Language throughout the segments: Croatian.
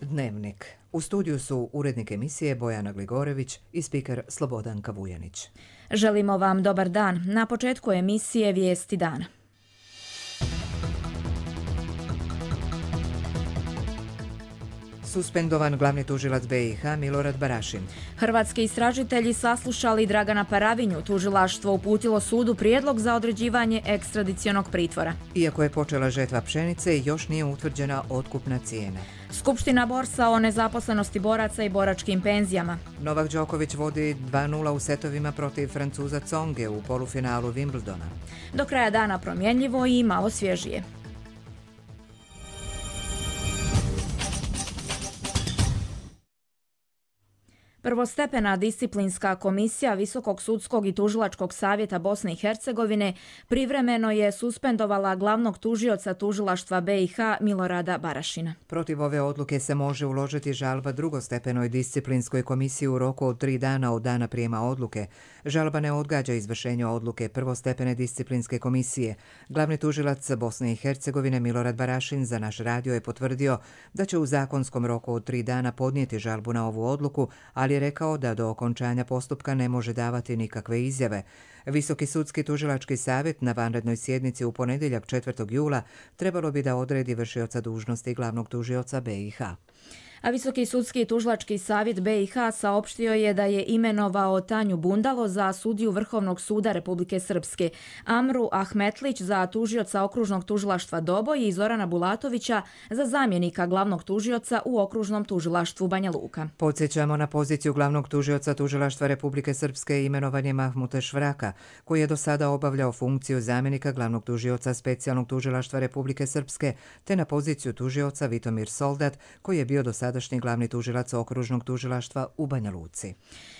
Dnevnik. U studiju su urednik emisije Bojana Gligorević i spiker Slobodanka Vujanić. Želimo vam dobar dan. Na početku emisije Vijesti dana. Suspendovan glavni tužilac BiH Milorad Barašin. Hrvatski istražitelji saslušali Dragana Paravinju. Tužilaštvo uputilo sudu prijedlog za određivanje ekstradicionog pritvora. Iako je počela žetva pšenice, još nije utvrđena otkupna cijena. Skupština borsa o nezaposlenosti boraca i boračkim penzijama. Novak Đoković vodi 2:0 u setovima protiv Francuza Tsonge u polufinalu Wimbledona. Do kraja dana promjenljivo i malo svježije. Prvostepena disciplinska komisija Visokog sudskog i tužilačkog savjeta Bosne i Hercegovine privremeno je suspendovala glavnog tužioca tužilaštva BiH Milorada Barašina. Protiv ove odluke se može uložiti žalba drugostepenoj disciplinskoj komisiji u roku od 3 dana od dana prijema odluke. Žalba ne odgađa izvršenje odluke prvostepene disciplinske komisije. Glavni tužilac Bosne i Hercegovine Milorad Barašin za naš radio je potvrdio da će u zakonskom roku od 3 dana podnijeti žalbu na ovu odluku, ali je rekao da do okončanja postupka ne može davati nikakve izjave. Visoki sudski tužilački savjet na vanrednoj sjednici u ponedjeljak 4. jula trebalo bi da odredi vršioca dužnosti glavnog tužioca BiH. A Visoki sudski tužilački savjet BiH saopštio je da je imenovao Tanju Bundalo za sudiju Vrhovnog suda Republike Srpske, Amru Ahmetlić za tužioca okružnog tužilaštva Doboj i Zorana Bulatovića za zamjenika glavnog tužioca u okružnom tužilaštvu Banja Luka. Podsjećamo, na poziciju glavnog tužioca tužilaštva Republike Srpske imenovan je Mahmute Švraka, koji je do sada obavljao funkciju zamjenika glavnog tužioca specijalnog tužilaštva Republike Srpske, te na poziciju tužioca Vitomir Soldat, koji je bio do sadašnji glavni tužilac okružnog tužilaštva u Banja Luci.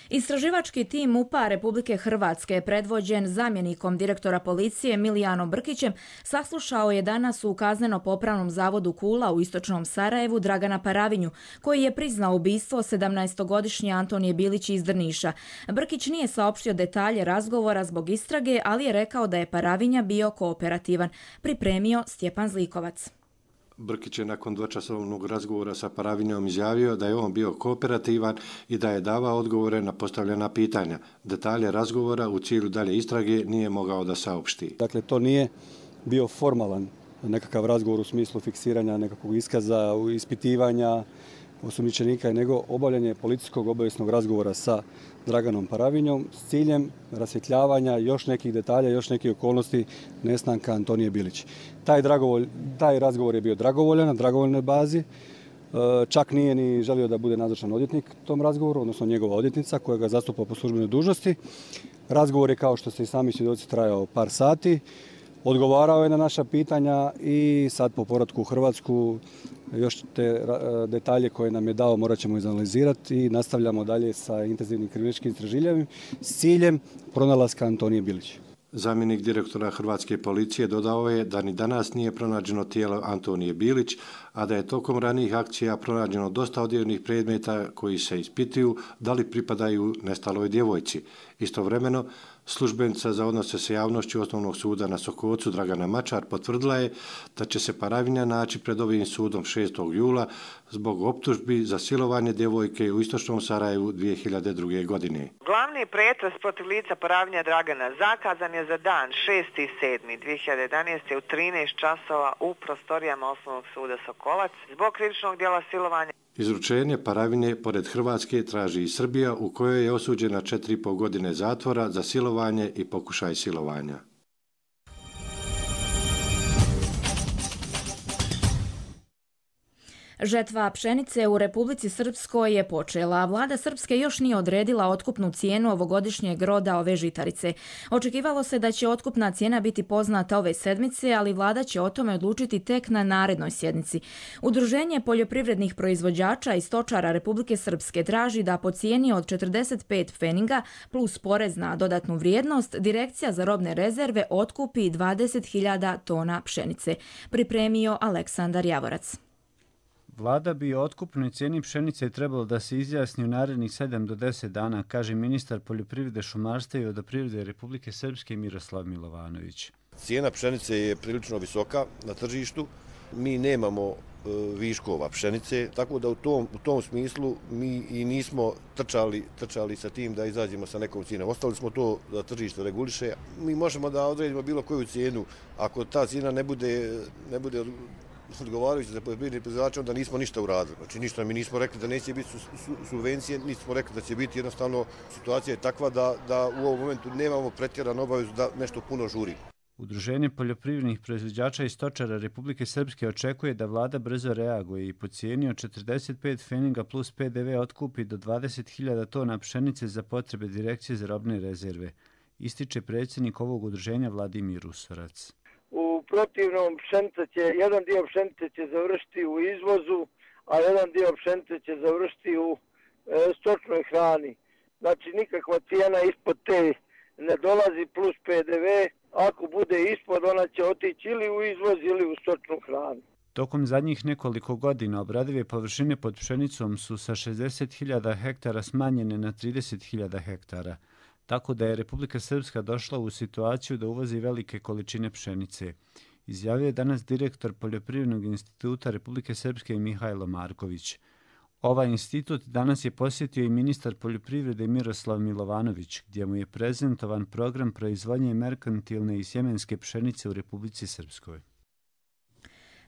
Istraživački tim MUP-a Republike Hrvatske, predvođen zamjenikom direktora policije Milijanom Brkićem, saslušao je danas u kazneno-popravnom zavodu Kula u istočnom Sarajevu Dragana Paravinju, koji je priznao ubistvo 17-godišnje Antonije Bilić iz Drniša. Brkić nije saopštio detalje razgovora zbog istrage, ali je rekao da je Paravinja bio kooperativan. Pripremio Stjepan Zlikovac. Brkić je nakon dvočasovnog razgovora sa Paravinjom izjavio da je on bio kooperativan i da je davao odgovore na postavljena pitanja. Detalje razgovora u cilju dalje istrage nije mogao da saopšti. Dakle, to nije bio formalan nekakav razgovor u smislu fiksiranja nekakvog iskaza, ispitivanja osumnjičenika, nego obavljanje policijskog obavijesnog razgovora sa Draganom Paravinjom s ciljem rasvjetljavanja još nekih detalja, još nekih okolnosti nestanka Antonije Bilić. Taj razgovor je bio dragovoljan, na dragovoljnoj bazi. Čak nije ni želio da bude nazočan odvjetnik tom razgovoru, odnosno njegova odvjetnica koja ga zastupa po službenoj dužnosti. Razgovor je, kao što ste i sami svjedoci, trajao par sati. Odgovarao je na naša pitanja i sad po povratku u Hrvatsku još te detalje koje nam je dao morat ćemo izanalizirati i nastavljamo dalje sa intenzivnim kriminalističkim istraživanjem s ciljem pronalaska Antonije Bilić. Zamjenik direktora Hrvatske policije dodao je da ni danas nije pronađeno tijelo Antonije Bilić, a da je tokom ranijih akcija pronađeno dosta odjevnih predmeta koji se ispituju da li pripadaju nestaloj djevojci. Istovremeno, službenica za odnose sa javnošću Osnovnog suda na Sokocu Dragana Mačar potvrdila je da će se Paravinja naći pred ovim sudom 6. jula zbog optužbi za silovanje djevojke u istočnom Sarajevu 2002. godine. Glavni pretres protiv lica Paravinja Dragana zakazan je za dan 6.7.2011. u 13 časova u prostorijama Osnovnog suda Sokolac zbog krivičnog djela silovanja. Izručenje Paravinje pored Hrvatske traži i Srbija, u kojoj je osuđena 4,5 godine zatvora za silovanje i pokušaj silovanja. Žetva pšenice u Republici Srpskoj je počela. Vlada Srpske još nije odredila otkupnu cijenu ovogodišnjeg roda ove žitarice. Očekivalo se da će otkupna cijena biti poznata ove sedmice, ali vlada će o tome odlučiti tek na narednoj sjednici. Udruženje poljoprivrednih proizvođača i stočara Republike Srpske traži da po cijeni od 45 pfeninga plus porez na dodatnu vrijednost Direkcija za robne rezerve otkupi 20.000 tona pšenice. Pripremio Aleksandar Javorac. Vlada bi o otkupnoj cijeni pšenice trebalo da se izjasni u narednih 7 do 10 dana, kaže ministar poljoprivrede, šumarstva i vodoprivrede Republike Srpske Miroslav Milovanović. Cijena pšenice je prilično visoka na tržištu. Mi nemamo viškova pšenice, tako da u tom smislu mi i nismo trčali sa tim da izađemo sa nekom cijenom. Ostali smo to da tržište reguliše. Mi možemo da odredimo bilo koju cijenu. Ako ta cijena ne bude odgovarajuća za poljoprivredne proizvođače, onda nismo ništa uradili. Znači ništa, mi nismo rekli da neće biti subvencije, nismo rekli da će biti, jednostavno situacija je takva da u ovom momentu nemamo pretjeranu obavezu da nešto puno žuri. Udruženje poljoprivrednih proizvođača i stočara Republike Srpske očekuje da vlada brzo reaguje i po cijeni od 45 pfeninga plus PDV otkupi do 20.000 tona pšenice za potrebe Direkcije za robne rezerve, ističe predsjednik ovog udruženja Vladimir Usorac. U protivnom jedan dio pšenice će završiti u izvozu, a jedan dio pšenice će završiti u stočnoj hrani. Znači nikakva cijena ispod te ne dolazi plus PDV. Ako bude ispod, ona će otići ili u izvoz ili u stočnu hranu. Tokom zadnjih nekoliko godina obradive površine pod pšenicom su sa 60.000 hektara smanjene na 30.000 hektara, tako da je Republika Srpska došla u situaciju da uvozi velike količine pšenice. Izjavio je danas direktor Poljoprivrednog instituta Republike Srpske Mihajlo Marković. Ovaj institut danas je posjetio i ministar poljoprivrede Miroslav Milovanović, gdje mu je prezentovan program proizvodnje merkantilne i sjemenske pšenice u Republici Srpskoj.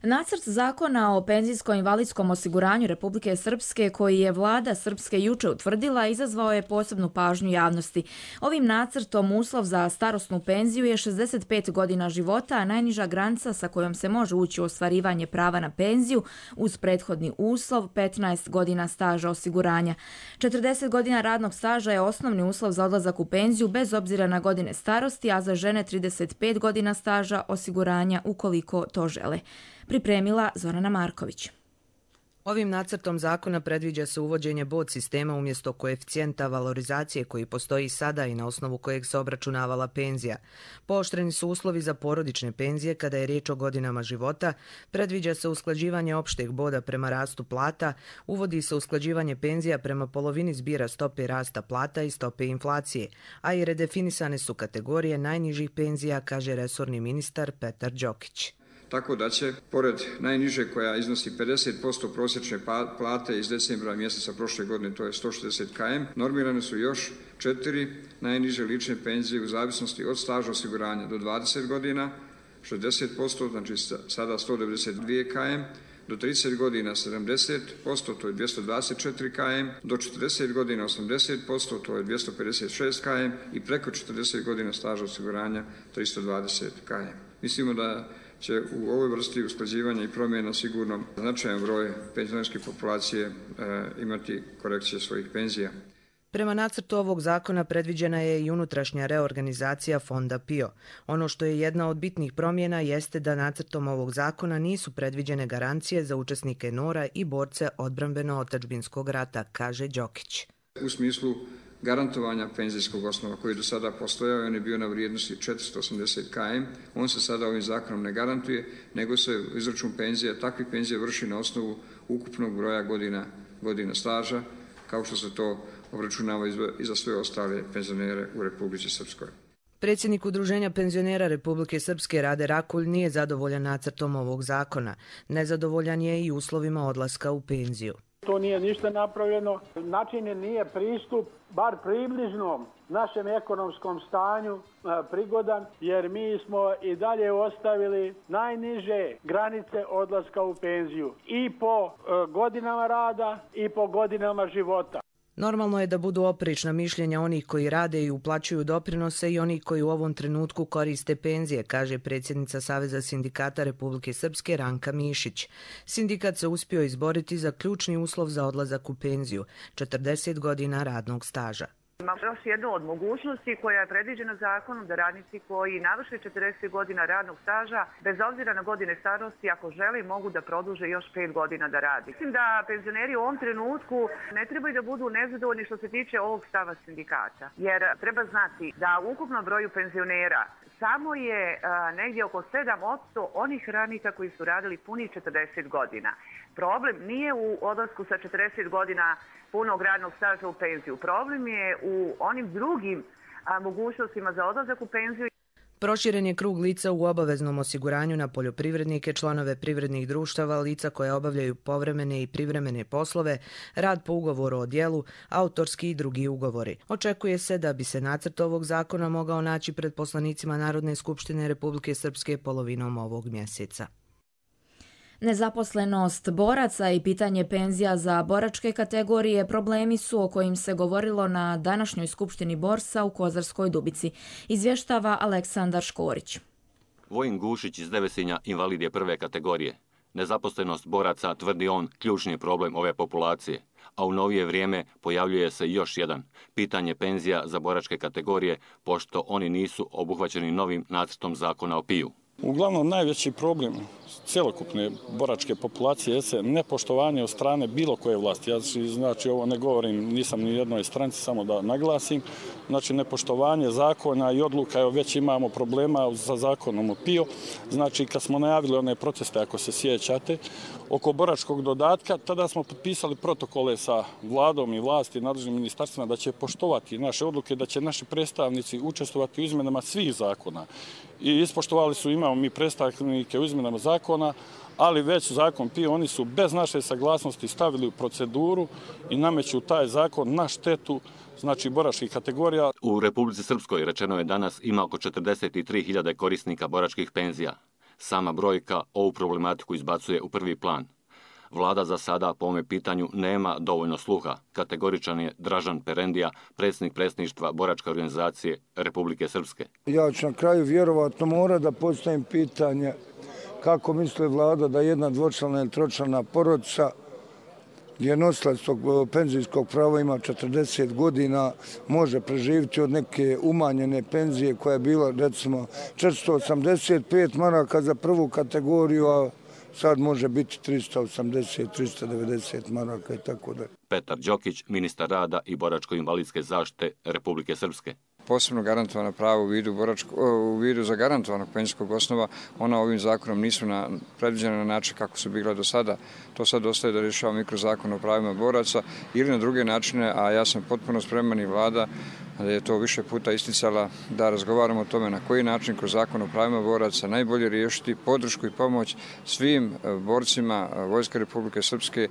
Nacrt zakona o penzijsko-invalidskom osiguranju Republike Srpske, koji je vlada Srpske juče utvrdila, izazvao je posebnu pažnju javnosti. Ovim nacrtom uslov za starosnu penziju je 65 godina života, a najniža granica sa kojom se može ući u ostvarivanje prava na penziju uz prethodni uslov 15 godina staža osiguranja. 40 godina radnog staža je osnovni uslov za odlazak u penziju bez obzira na godine starosti, a za žene 35 godina staža osiguranja ukoliko to žele. Pripremila Zorana Marković. Ovim nacrtom zakona predviđa se uvođenje bod sistema umjesto koeficijenta valorizacije koji postoji sada i na osnovu kojeg se obračunavala penzija. Pooštreni su uslovi za porodične penzije kada je riječ o godinama života, predviđa se usklađivanje opšteg boda prema rastu plata, uvodi se usklađivanje penzija prema polovini zbira stope rasta plata i stope inflacije, a i redefinisane su kategorije najnižih penzija, kaže resorni ministar Petar Đokić. Tako da će, pored najniže koja iznosi 50% prosječne plate iz decembra mjeseca prošle godine, to je 160 km, normirane su još 4 najniže lične penzije u zavisnosti od staža osiguranja do 20 godina, 60%, znači sada 192 km, do 30 godina 70%, to je 224 km, do 40 godina 80%, to je 256 km i preko 40 godina staža osiguranja 320 km. Mislimo da će u ovoj vrsti usklađivanja i promjena sigurno značajan broj penzionerske populacije imati korekcije svojih penzija. Prema nacrtu ovog zakona predviđena je i unutrašnja reorganizacija fonda PIO. Ono što je jedna od bitnih promjena jeste da nacrtom ovog zakona nisu predviđene garancije za učesnike NOR-a i borce odbrambeno-otadžbinskog rata, kaže Đokić. U smislu garantovanja penzijskog osnova koji je do sada postojao, on je bio na vrijednosti 480 km, on se sada ovim zakonom ne garantuje, nego se izračun penzija, takvih penzija vrši na osnovu ukupnog broja godina staža, kao što se to obračunava i za sve ostale penzionere u Republici Srpskoj. Predsjednik Udruženja penzionera Republike Srpske Rade Rakulj nije zadovoljan nacrtom ovog zakona. Nezadovoljan je i uslovima odlaska u penziju. To nije ništa napravljeno, načinjen nije pristup, bar približnom našem ekonomskom stanju prigodan, jer mi smo i dalje ostavili najniže granice odlaska u penziju i po godinama rada i po godinama života. Normalno je da budu oprečna mišljenja onih koji rade i uplaćuju doprinose i onih koji u ovom trenutku koriste penzije, kaže predsjednica Saveza sindikata Republike Srpske Ranka Mišić. Sindikat se uspio izboriti za ključni uslov za odlazak u penziju, 40 godina radnog staža. Ima još jednu od mogućnosti koja je predviđena zakonom da radnici koji navrše 40 godina radnog staža, bez obzira na godine starosti, ako žele, mogu da produže još 5 godina da radi. Mislim da penzioneri u ovom trenutku ne trebaju da budu nezadovoljni što se tiče ovog stava sindikata. Jer treba znati da u ukupnom broju penzionera samo je negdje oko 7% onih radnika koji su radili punih 40 godina. Problem nije u odlasku sa 40 godina punog radnog staža u penziju. Problem je u onim drugim mogućnostima za odlazak u penziju. Proširen je krug lica u obaveznom osiguranju na poljoprivrednike, članove privrednih društava, lica koje obavljaju povremene i privremene poslove, rad po ugovoru o djelu, autorski i drugi ugovori. Očekuje se da bi se nacrt ovog zakona mogao naći pred poslanicima Narodne skupštine Republike Srpske polovinom ovog mjeseca. Nezaposlenost boraca i pitanje penzija za boračke kategorije problemi su o kojim se govorilo na današnjoj skupštini Borsa u Kozarskoj Dubici, izvještava Aleksandar Škorić. Vojin Gušić iz Devesinja invalid je prve kategorije. Nezaposlenost boraca, tvrdi on, ključni je problem ove populacije, a u novije vrijeme pojavljuje se još jedan, pitanje penzija za boračke kategorije, pošto oni nisu obuhvaćeni novim nacrtom zakona o PIO. Uglavnom, najveći problem cjelokupne boračke populacije je nepoštovanje od strane bilo koje vlasti. Ja znači ovo ne govorim, nisam ni jednoj stranci, samo da naglasim. Znači nepoštovanje zakona i odluka, evo već imamo problema sa zakonom o PIO. Znači kad smo najavili one proteste, ako se sjećate, oko boračkog dodatka, tada smo potpisali protokole sa vladom i vlasti i nadležnim ministarstvima da će poštovati naše odluke, da će naši predstavnici učestvovati u izmenama svih zakona. I ispoštovali su, imamo mi predstavnike u izmenama zakona, ali već zakon PIO oni su bez naše saglasnosti stavili u proceduru i nameću taj zakon na štetu znači boračkih kategorija. U Republici Srpskoj, rečeno je danas, ima oko 43.000 korisnika boračkih penzija. Sama brojka ovu problematiku izbacuje u prvi plan. Vlada za sada po ovome pitanju nema dovoljno sluha. Kategoričan je Dražan Perendija, predsjednik predsjedništva boračke organizacije Republike Srpske. Ja ću na kraju vjerovatno mora da postavim pitanje kako misli vlada da jedna dvočlana ili tročlana porodica gdje nosilac tog penzijskog prava ima 40 godina, može preživjeti od neke umanjene penzije koja je bila recimo 485 maraka za prvu kategoriju, a sad može biti 380, 390 maraka i tako da. Petar Đokić, ministar rada i boračko-invalidske zaštite Republike Srpske. Posebno garantovana prava u vidu zagarantovanog penzijskog osnova, ona ovim zakonom nisu predviđena na način kako su bila do sada. To sad ostaje da rješava mikrozakon o pravima boraca ili na druge načine, a ja sam potpuno spreman i vlada da je to više puta isticala da razgovaramo o tome na koji način kroz zakon o pravima boraca najbolje riješiti podršku i pomoć svim borcima Vojske Republike Srpske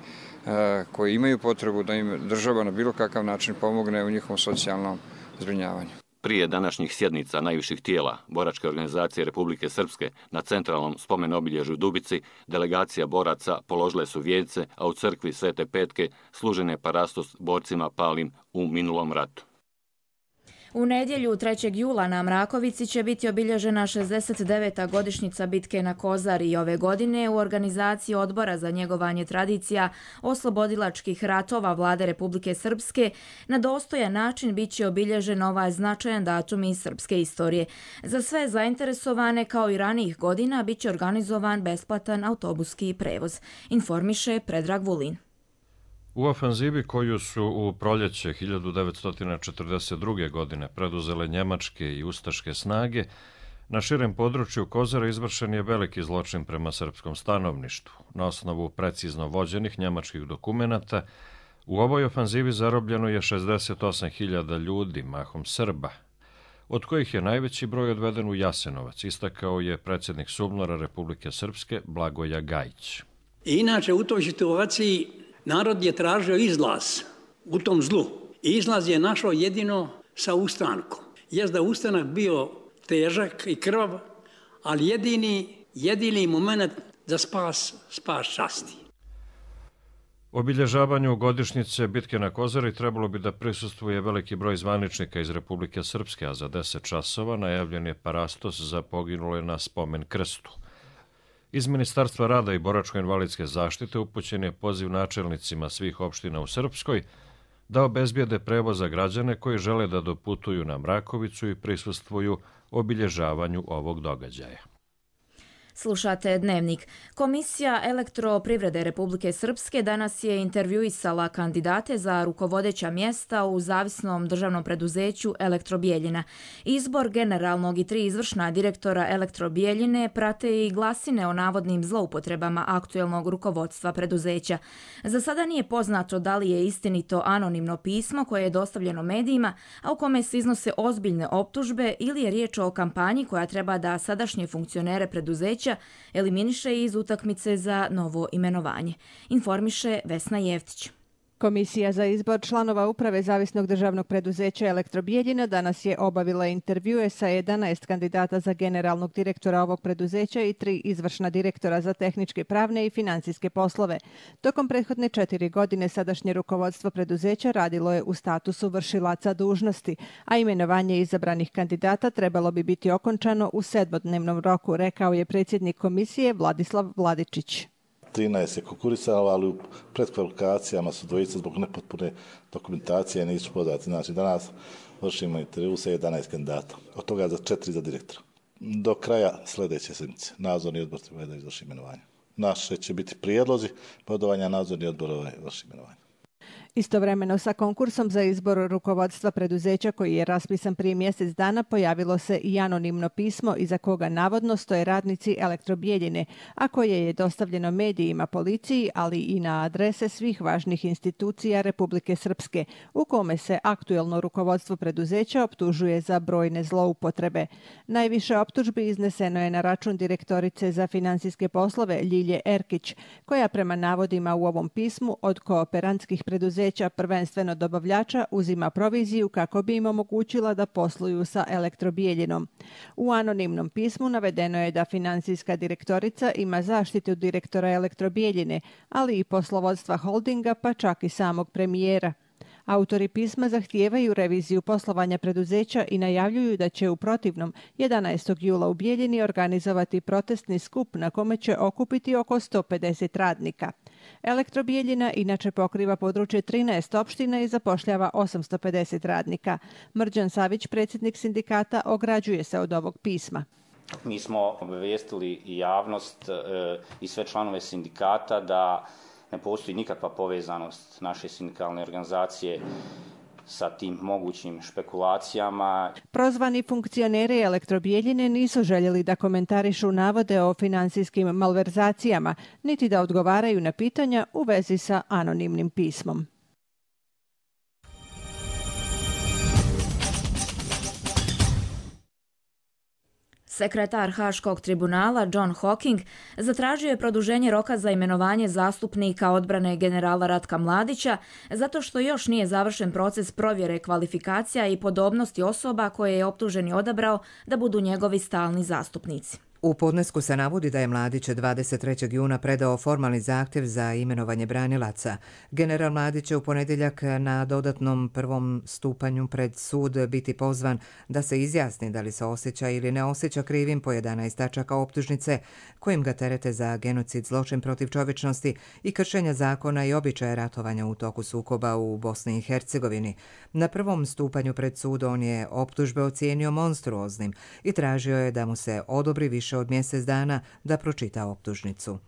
koji imaju potrebu da im država na bilo kakav način pomogne u njihovom socijalnom zbrinjavanju. Prije današnjih sjednica najviših tijela boračke organizacije Republike Srpske na centralnom spomen obilježju Dubici delegacija boraca položile su vijence, a u crkvi Svete Petke služen je parastos borcima palim u minulom ratu. U nedjelju 3. jula na Mrakovici će biti obilježena 69. godišnjica bitke na Kozari i ove godine u organizaciji Odbora za njegovanje tradicija oslobodilačkih ratova Vlade Republike Srpske na dostojan način bit će obilježen ovaj značajan datum iz srpske istorije. Za sve zainteresovane kao i ranijih godina bit će organizovan besplatan autobuski prevoz, informiše Predrag Vulin. U ofanzivi koju su u proljeće 1942. godine preduzele njemačke i ustaške snage, na širem području Kozara izvršen je veliki zločin prema srpskom stanovništvu. Na osnovu precizno vođenih njemačkih dokumenata, u ovoj ofanzivi zarobljeno je 68.000 ljudi, mahom Srba, od kojih je najveći broj odveden u Jasenovac, istakao je predsjednik SUBNOR-a Republike Srpske Blagoja Gajić. Inače, u toj situaciji narod je tražio izlaz u tom zlu. I izlaz je našao jedino sa ustankom. Jest da ustanak bio težak i krvav, ali jedini moment za spas časti. Obilježavanju godišnjice bitke na Kozari trebalo bi da prisustvuje veliki broj zvaničnika iz Republike Srpske, a za 10 časova najavljen je parastos za poginule na spomen krstu. Iz Ministarstva rada i boračko-invalidske zaštite upućen je poziv načelnicima svih opština u Srpskoj da obezbijede prevoz za građane koji žele da doputuju na Mrakovicu i prisustvuju obilježavanju ovog događaja. Slušate Dnevnik. Komisija elektroprivrede Republike Srpske danas je intervjuisala kandidate za rukovodeća mjesta u zavisnom državnom preduzeću Elektrobijeljina. Izbor generalnog i 3 izvršna direktora Elektrobijeljine prate i glasine o navodnim zloupotrebama aktuelnog rukovodstva preduzeća. Za sada nije poznato da li je istinito anonimno pismo koje je dostavljeno medijima, a u kome se iznose ozbiljne optužbe, ili je riječ o kampanji koja treba da sadašnje funkcionere preduzeća eliminiše iz utakmice za novo imenovanje. Informiše Vesna Jeftić. Komisija za izbor članova uprave zavisnog državnog preduzeća Elektrobijeljina danas je obavila intervjue sa 11 kandidata za generalnog direktora ovog preduzeća i 3 izvršna direktora za tehničke, pravne i financijske poslove. Tokom prethodne 4 godine sadašnje rukovodstvo preduzeća radilo je u statusu vršilaca dužnosti, a imenovanje izabranih kandidata trebalo bi biti okončano u 7-dnevnom roku, rekao je predsjednik komisije Vladislav Vladičić. 13 je konkurisalo, ali u predkvalifikacijama su dvojice zbog nepotpune dokumentacije nisu podati. Znači, danas vršimo intervju sa 11 kandidata, od toga za 4 za direktora. Do kraja sljedeće sedmice nadzorni odbor treba da izvrši imenovanje. Naše će biti prijedlozi bodovanja, nadzorni odbor vrši imenovanje. Istovremeno sa konkursom za izbor rukovodstva preduzeća koji je raspisan prije mjesec dana pojavilo se i anonimno pismo iza koga navodno stoje radnici Elektrobijeljine, a koje je dostavljeno medijima, policiji, ali i na adrese svih važnih institucija Republike Srpske, u kome se aktuelno rukovodstvo preduzeća optužuje za brojne zloupotrebe. Najviše optužbi izneseno je na račun direktorice za financijske poslove Ljilje Erkić, koja prema navodima u ovom pismu od kooperantskih preduzeća, prvenstveno dobavljača, uzima proviziju kako bi im omogućila da posluju sa Elektrobijeljinom. U anonimnom pismu navedeno je da financijska direktorica ima zaštitu direktora Elektrobijeljine, ali i poslovodstva holdinga, pa čak i samog premijera. Autori pisma zahtijevaju reviziju poslovanja preduzeća i najavljuju da će u protivnom 11. jula u Bijeljini organizovati protestni skup na kome će okupiti oko 150 radnika. Elektrobijeljina inače pokriva područje 13 opština i zapošljava 850 radnika. Mrđan Savić, predsjednik sindikata, ograđuje se od ovog pisma. Mi smo obavijestili i javnost i sve članove sindikata da ne postoji nikakva povezanost naše sindikalne organizacije sa tim mogućim špekulacijama. Prozvani funkcioneri Elektrobijeljine nisu željeli da komentarišu navode o finansijskim malverzacijama, niti da odgovaraju na pitanja u vezi sa anonimnim pismom. Sekretar Haškog tribunala John Hocking zatražio je produženje roka za imenovanje zastupnika odbrane generala Ratka Mladića zato što još nije završen proces provjere kvalifikacija i podobnosti osoba koje je optuženi odabrao da budu njegovi stalni zastupnici. U podnesku se navodi da je Mladić 23. juna predao formalni zahtjev za imenovanje branilaca. General Mladić će u ponedjeljak na dodatnom prvom stupanju pred sud biti pozvan da se izjasni da li se osjeća ili ne osjeća krivim po 11 tačaka optužnice kojim ga terete za genocid, zločin protiv čovječnosti i kršenja zakona i običaja ratovanja u toku sukoba u Bosni i Hercegovini. Na prvom stupanju pred sud on je optužbe ocijenio monstruoznim i tražio je da mu se odobri više od mjesec dana da pročita optužnicu.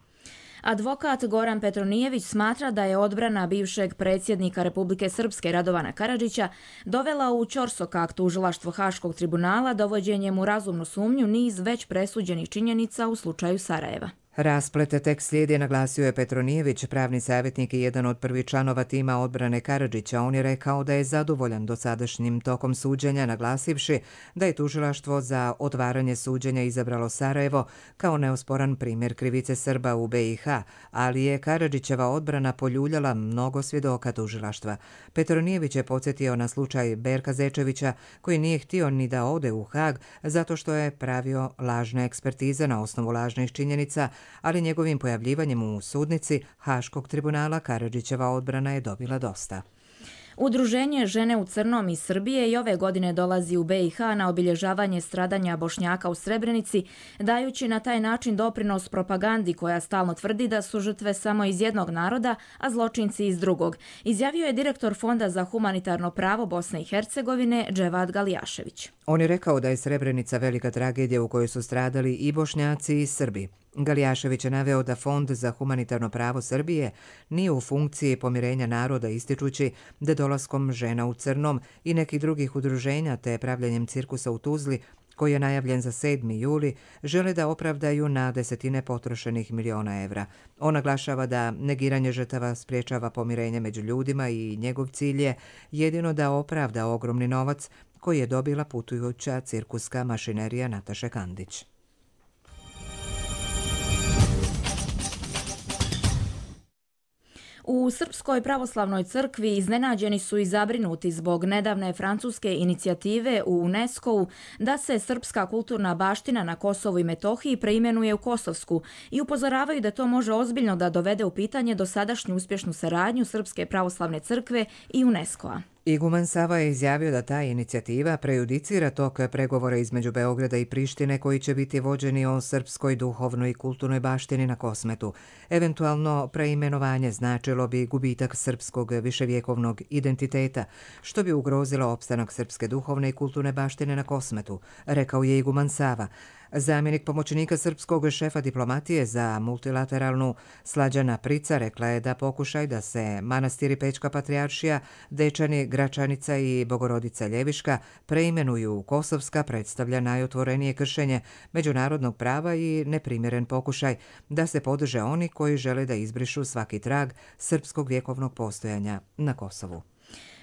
Advokat Goran Petronijević smatra da je odbrana bivšeg predsjednika Republike Srpske Radovana Karadžića dovela u ćorsokak tužilaštvo Haškog tribunala dovođenjem u razumnu sumnju niz već presuđenih činjenica u slučaju Sarajeva. Rasplete tek slijedi, naglasio je Petronijević, pravni savjetnik i jedan od prvih članova tima odbrane Karadžića. On je rekao da je zadovoljan dosadašnjim tokom suđenja, naglasivši da je tužilaštvo za otvaranje suđenja izabralo Sarajevo kao neosporan primjer krivice Srba u BiH, ali je Karadžićeva odbrana poljuljala mnogo svjedoka tužilaštva. Petronijević je podsjetio na slučaj Berka Zečevića, koji nije htio ni da ode u Hag zato što je pravio lažne ekspertize na osnovu lažnih činjenica, ali njegovim pojavljivanjem u sudnici Haškog tribunala Karadžićeva odbrana je dobila dosta. Udruženje Žene u crnom iz Srbije i ove godine dolazi u BiH na obilježavanje stradanja Bošnjaka u Srebrenici, dajući na taj način doprinos propagandi koja stalno tvrdi da su žrtve samo iz jednog naroda, a zločinci iz drugog, izjavio je direktor Fonda za humanitarno pravo Bosne i Hercegovine Dževad Galijašević. On je rekao da je Srebrenica velika tragedija u kojoj su stradali i Bošnjaci i Srbi. Galijašević je naveo da Fond za humanitarno pravo Srbije nije u funkciji pomirenja naroda, ističući da dolaskom Žena u crnom i nekih drugih udruženja te pravljenjem cirkusa u Tuzli, koji je najavljen za 7. juli, žele da opravdaju na desetine potrošenih miliona evra. On naglašava da negiranje žrtava spriječava pomirenje među ljudima i njegov cilj je jedino da opravda ogromni novac koji je dobila putujuća cirkuska mašinerija Nataše Kandić. U Srpskoj pravoslavnoj crkvi iznenađeni su i zabrinuti zbog nedavne francuske inicijative u UNESCO-u da se srpska kulturna baština na Kosovu i Metohiji preimenuje u Kosovsku i upozoravaju da to može ozbiljno da dovede u pitanje dosadašnju uspješnu saradnju Srpske pravoslavne crkve i UNESCO-a. Iguman Sava je izjavio da ta inicijativa prejudicira tok pregovora između Beograda i Prištine koji će biti vođeni o srpskoj duhovnoj i kulturnoj baštini na Kosmetu. Eventualno preimenovanje značilo bi gubitak srpskog viševjekovnog identiteta, što bi ugrozilo opstanak srpske duhovne i kulturne baštine na Kosmetu, rekao je Iguman Sava. Zamjenik pomoćnika srpskog šefa diplomatije za multilateralnu Slađana Prica rekla je da pokušaj da se manastiri Pećka patrijaršija, Dečani, Gračanica i Bogorodica Ljeviška preimenuju u Kosovska predstavlja najotvorenije kršenje međunarodnog prava i neprimjeren pokušaj da se podrže oni koji žele da izbrišu svaki trag srpskog vjekovnog postojanja na Kosovu.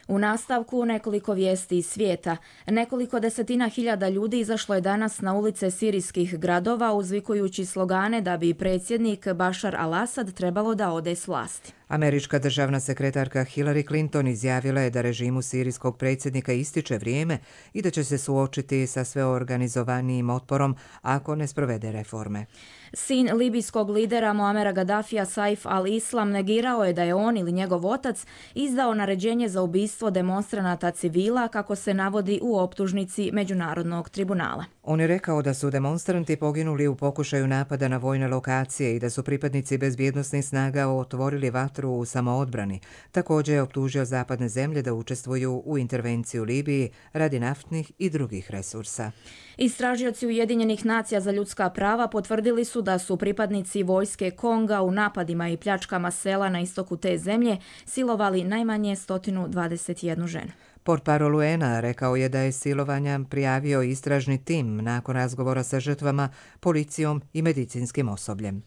U nastavku nekoliko vijesti iz svijeta. Nekoliko desetina hiljada ljudi izašlo je danas na ulice sirijskih gradova uzvikujući slogane da bi predsjednik Bashar al-Assad trebalo da ode s vlasti. Američka državna sekretarka Hillary Clinton izjavila je da režimu sirijskog predsjednika ističe vrijeme i da će se suočiti sa sveorganizovanijim otporom ako ne sprovede reforme. Sin libijskog lidera Muamera Gaddafija Saif al-Islam negirao je da je on ili njegov otac izdao naređenje za ubistvo demonstranata civila kako se navodi u optužnici Međunarodnog tribunala. On je rekao da su demonstranti poginuli u pokušaju napada na vojne lokacije i da su pripadnici bezbjednosnih snaga otvorili vatru u samoodbrani. Također je optužio zapadne zemlje da učestvuju u intervenciji u Libiji radi naftnih i drugih resursa. Istražioci Ujedinjenih nacija za ljudska prava potvrdili su da su pripadnici vojske Konga u napadima i pljačkama sela na istoku te zemlje silovali najmanje 121 ženu. Portparol UN-a rekao je da je silovanja prijavio istražni tim nakon razgovora sa žrtvama, policijom i medicinskim osobljem.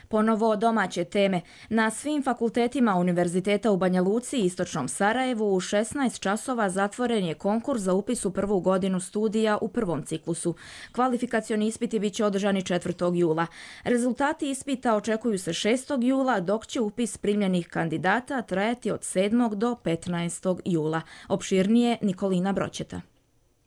Ponovo domaće teme. Na svim fakultetima Univerziteta u Banja Luci i Istočnom Sarajevu u 16 časova zatvoren je konkurs za upis u prvu godinu studija u prvom ciklusu. Kvalifikacioni ispiti bit će održani 4. jula. Rezultati ispita očekuju se 6. jula, dok će upis primljenih kandidata trajati od 7. do 15. jula. Opširnije Nikolina Broćeta.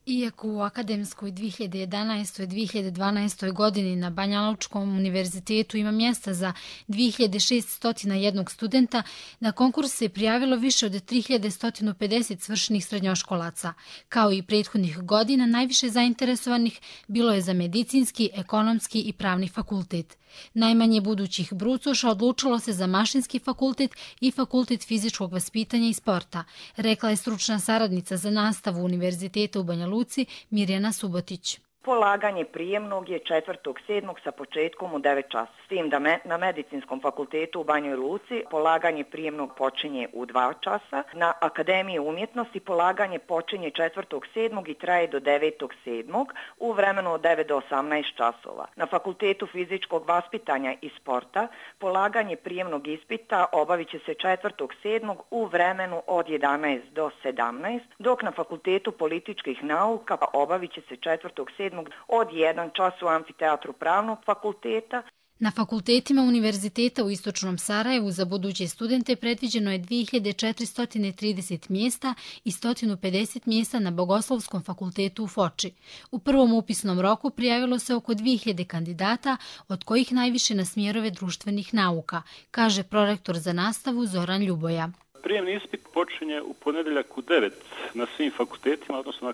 Iako u akademskoj 2011-2012. godini na Banja Lučkom univerzitetu ima mjesta za 2601 studenta, na konkurs se prijavilo više od 3150 svršenih srednjoškolaca. Kao i prethodnih godina, najviše zainteresovanih bilo je za medicinski, ekonomski i pravni fakultet. Najmanje budućih brucoša odlučilo se za mašinski fakultet i fakultet fizičkog vaspitanja i sporta, rekla je stručna saradnica za nastavu Univerziteta u Banja Luci Mirjana Subotić. Polaganje prijemnog je 4.7. sa početkom u 9 časa. S tim da na medicinskom fakultetu u Banjoj Luci polaganje prijemnog počinje u 2 časa. Na Akademiji umjetnosti polaganje počinje 4.7. i traje do 9.7. u vremenu od 9 do 18 časova. Na Fakultetu fizičkog vaspitanja i sporta polaganje prijemnog ispita obavit će se 4.7. u vremenu od 11 do 17, dok na Fakultetu političkih nauka obavit će se 4.7. od 1 čas u amfiteatru pravnog fakulteta. Na fakultetima Univerziteta u Istočnom Sarajevu za buduće studente predviđeno je 2430 mjesta i 150 mjesta na Bogoslovskom fakultetu u Foči. U prvom upisnom roku prijavilo se oko 2000 kandidata, od kojih najviše na smjerove društvenih nauka, kaže prorektor za nastavu Zoran Ljuboja. Prijemni ispit počinje u ponedjeljak u 9 na svim fakultetima, odnosno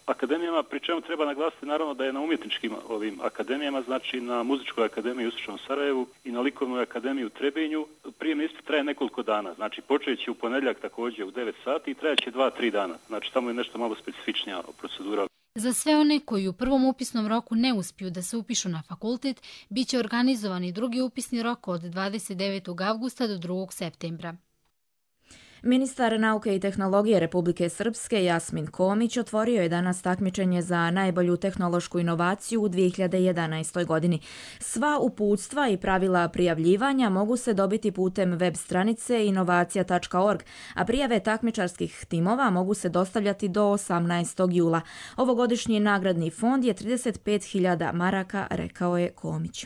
akademijama, pri čemu treba naglasiti naravno da je na umjetničkim akademijama, znači na Muzičkoj akademiji u Istočnom Sarajevu i na Likovnoj akademiji u Trebinju. Prijemni ispit traje nekoliko dana, znači počet će u ponedjeljak također u 9 sati i traje će 2-3 dana, znači samo je nešto malo specifičnija procedura. Za sve one koji u prvom upisnom roku ne uspiju da se upišu na fakultet, bit će organizovan i drugi upisni rok od 29. avgusta do 2. septembra. Ministar nauke i tehnologije Republike Srpske Jasmin Komić otvorio je danas takmičenje za najbolju tehnološku inovaciju u 2011. godini. Sva uputstva i pravila prijavljivanja mogu se dobiti putem web stranice inovacija.org, a prijave takmičarskih timova mogu se dostavljati do 18. jula. Ovogodišnji nagradni fond je 35.000 maraka, rekao je Komić.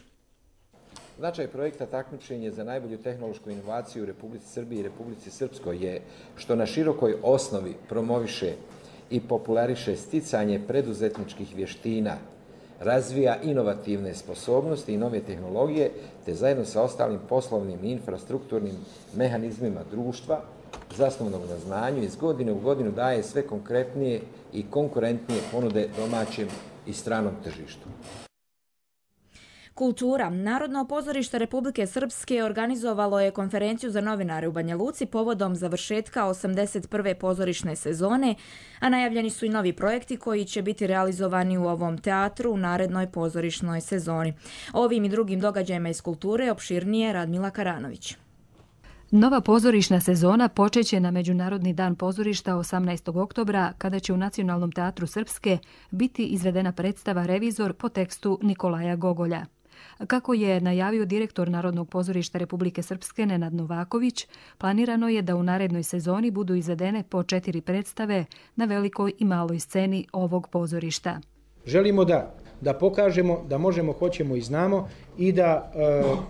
Značaj projekta takmičenje za najbolju tehnološku inovaciju u Republici Srbiji i Republici Srpskoj je što na širokoj osnovi promoviše i populariše sticanje preduzetničkih vještina, razvija inovativne sposobnosti i nove tehnologije, te zajedno sa ostalim poslovnim i infrastrukturnim mehanizmima društva, zasnovanog na znanju, iz godine u godinu daje sve konkretnije i konkurentnije ponude domaćem i stranom tržištu. Kultura. Narodno pozorište Republike Srpske organizovalo je konferenciju za novinare u Banja Luci povodom završetka 81. pozorišne sezone, a najavljeni su i novi projekti koji će biti realizovani u ovom teatru u narednoj pozorišnoj sezoni. Ovim i drugim događajima iz kulture opširnije Radmila Karanović. Nova pozorišna sezona počeće na Međunarodni dan pozorišta 18. oktobra, kada će u Nacionalnom teatru Srpske biti izvedena predstava Revizor po tekstu Nikolaja Gogolja. Kako je najavio direktor Narodnog pozorišta Republike Srpske Nenad Novaković, planirano je da u narednoj sezoni budu izvedene po 4 predstave na velikoj i maloj sceni ovog pozorišta. Želimo da pokažemo da možemo, hoćemo i znamo i da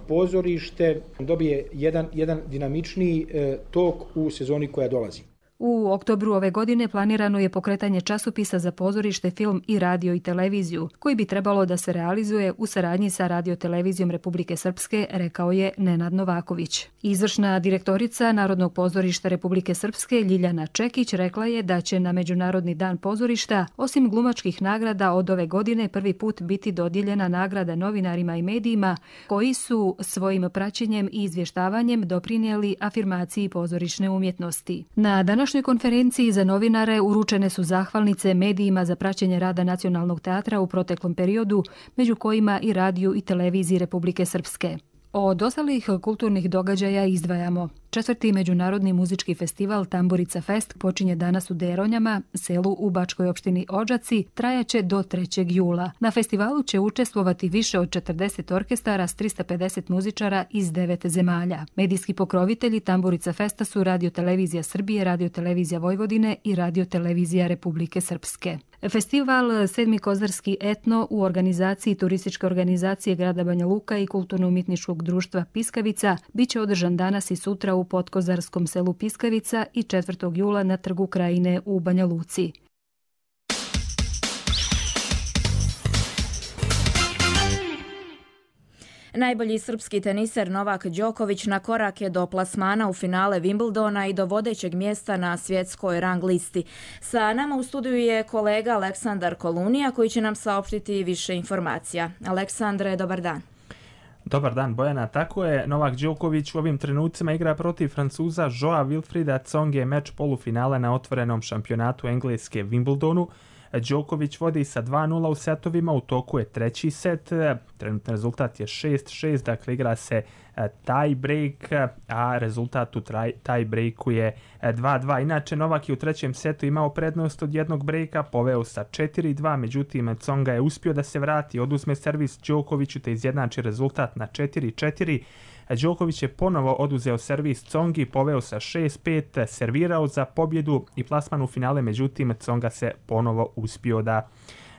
pozorište dobije jedan dinamičniji tok u sezoni koja dolazi. U oktobru ove godine planirano je pokretanje časopisa za pozorište, film i radio i televiziju, koji bi trebalo da se realizuje u saradnji sa Radio-televizijom Republike Srpske, rekao je Nenad Novaković. Izvršna direktorica Narodnog pozorišta Republike Srpske Ljiljana Čekić rekla je da će na Međunarodni dan pozorišta, osim glumačkih nagrada, od ove godine prvi put biti dodijeljena nagrada novinarima i medijima koji su svojim praćenjem i izvještavanjem doprinijeli afirmaciji pozorišne umjetnosti. Na današnjoj konferenciji za novinare uručene su zahvalnice medijima za praćenje rada Nacionalnog teatra u proteklom periodu, među kojima i radiju i televiziji Republike Srpske. Od ostalih kulturnih događaja izdvajamo. 4. Međunarodni muzički festival Tamburica Fest počinje danas u Deronjama, selu u Bačkoj opštini Odžaci, trajaće do 3. jula. Na festivalu će učestvovati više od 40 orkestara s 350 muzičara iz 9 zemalja. Medijski pokrovitelji Tamburica Festa su Radio-televizija Srbije, Radio-televizija Vojvodine i Radio-televizija Republike Srpske. Festival Sedmi kozarski etno u organizaciji Turističke organizacije grada Banja Luka i Kulturno-umjetničkog društva Piskavica biće održan danas i sutra u podkozarskom selu Piskavica i 4. jula na Trgu Krajine u Banja Luci. Najbolji srpski teniser Novak Đoković na korak je do plasmana u finale Wimbledona i do vodećeg mjesta na svjetskoj rang listi. Sa nama u studiju je kolega Aleksandar Kolunija koji će nam saopštiti više informacija. Aleksandre, dobar dan. Dobar dan, Bojana. Tako je, Novak Đoković u ovim trenucima igra protiv Francuza Joa Wilfrida Tsonge meč polufinala na otvorenom šampionatu Engleske Wimbledonu. Đoković vodi sa 2-0 u setovima, u toku je treći set, trenutni rezultat je 6-6, dakle igra se tie break, a rezultat u tie breaku je 2-2. Inače, Novak je u trećem setu imao prednost od jednog breaka, poveo sa 4-2, međutim Tsonga je uspio da se vrati, oduzme servis Đokoviću te izjednači rezultat na 4-4. Đoković je ponovo oduzeo servis Tsongi, poveo sa 6-5, servirao za pobjedu i plasman u finale, međutim Tsonga se ponovo uspio da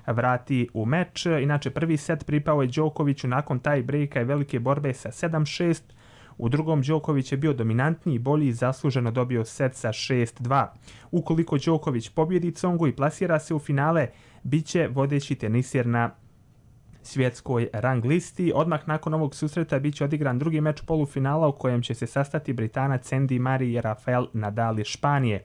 vrati u meč. Inače, prvi set pripao je Đokoviću nakon tie breaka i velike borbe sa 7-6. U drugom Đoković je bio dominantniji i bolji i zasluženo dobio set sa 6-2. Ukoliko Đoković pobjedi Tsongu i plasira se u finale, bit će vodeći teniser na svjetskoj rang listi. Odmah nakon ovog susreta bit će odigran drugi meč polufinala u kojem će se sastati Britanac Andy Murray i Rafael Nadal iz Španije.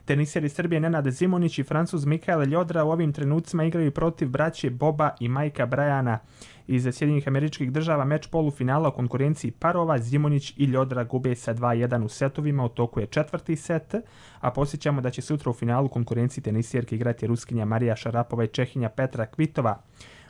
Teniseri Srbije Nenad Zimonjić i Francuz Mikael Ljodra u ovim trenucima igraju protiv braće Boba i Majka Brajana. Iz Sjedinjenih Američkih Država meč polufinala u konkurenciji parova Zimonjić i Ljodra gube sa 2-1 u setovima, u toku je 4. set, a posjećamo da će sutra u finalu konkurenciji tenisjerke igrati Ruskinja Marija Šarapova i Čehinja Petra Kvitova.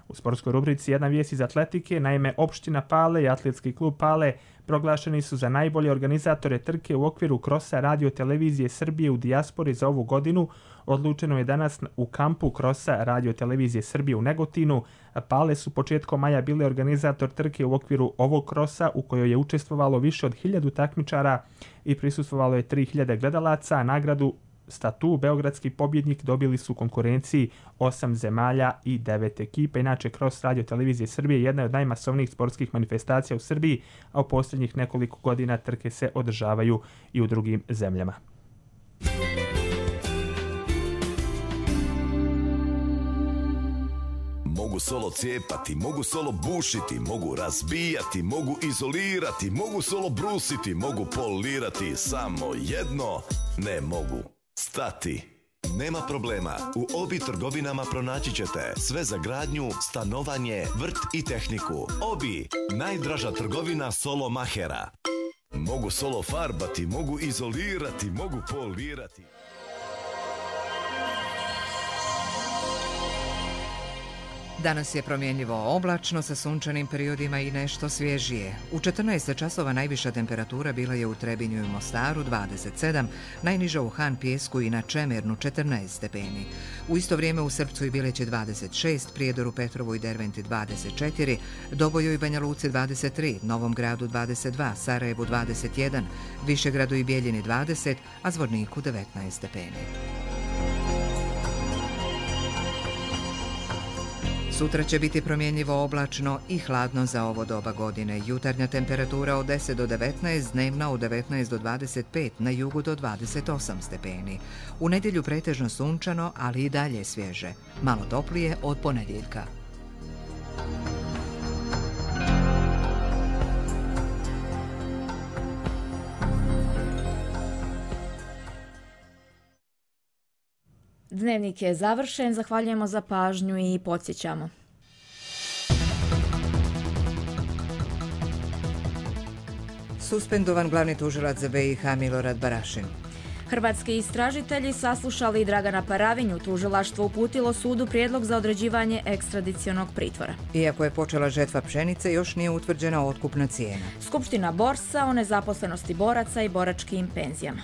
U sportskoj rubrici jedna vijest iz atletike, naime opština Pale i atletski klub Pale proglašeni su za najbolje organizatore trke u okviru krosa Radio Televizije Srbije u dijaspori za ovu godinu. Odlučeno je danas u kampu krosa Radio Televizije Srbije u Negotinu. Pale su početkom maja bili organizator trke u okviru ovog krosa u kojoj je učestvovalo više od 1000 takmičara i prisustvovalo je 3000 gledalaca, a nagradu statu beogradski pobjednik dobili su u konkurenciji 8 zemalja i 9 ekipa. Inače, Cross Radio Televizije Srbije jedna je od najmasovnijih sportskih manifestacija u Srbiji, a u posljednjih nekoliko godina trke se održavaju i u drugim zemljama. Mogu solo cijepati, mogu solo bušiti, mogu razbijati, mogu izolirati, mogu solo brusiti, mogu polirati, samo jedno ne mogu. Stati. Nema problema, u Obi trgovinama pronaći ćete sve za gradnju, stanovanje, vrt i tehniku. Obi, najdraža trgovina solo mahera. Mogu solo farbati, mogu izolirati, mogu polirati. Danas je promjenjivo oblačno sa sunčanim periodima i nešto svježije. U 14 časova najviša temperatura bila je u Trebinju i Mostaru 27, najniža u Han Pijesku i na Čemernu 14 stepeni. U isto vrijeme u Srpcu i Bileći 26, Prijedoru, Petrovu i Derventi 24, Doboju i Banja Luci 23, Novom Gradu 22, Sarajevu 21, Višegradu i Bijeljini 20, a Zvorniku 19 stepeni. Sutra će biti promjenjivo oblačno i hladno za ovo doba godine. Jutarnja temperatura od 10 do 19, dnevna od 19 do 25, na jugu do 28 stepeni. U nedjelju pretežno sunčano, ali i dalje svježe. Malo toplije od ponedjeljka. Dnevnik je završen, zahvaljujemo za pažnju i podsjećamo. Suspendovan glavni tužilac za BiH Milorad Barašin. Hrvatski istražitelji saslušali Dragana Paravinju, tužilaštvo uputilo sudu prijedlog za određivanje ekstradicionog pritvora. Iako je počela žetva pšenice, još nije utvrđena otkupna cijena. Skupština Borsa o nezaposlenosti boraca i boračkim penzijama.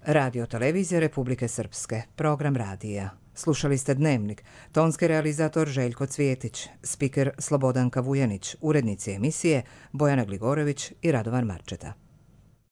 Radio Televizija Republike Srpske, program radija. Slušali ste Dnevnik, tonski realizator Željko Cvijetić, spiker Slobodanka Vujanić, urednici emisije Bojana Gligorović i Radovan Marčeta.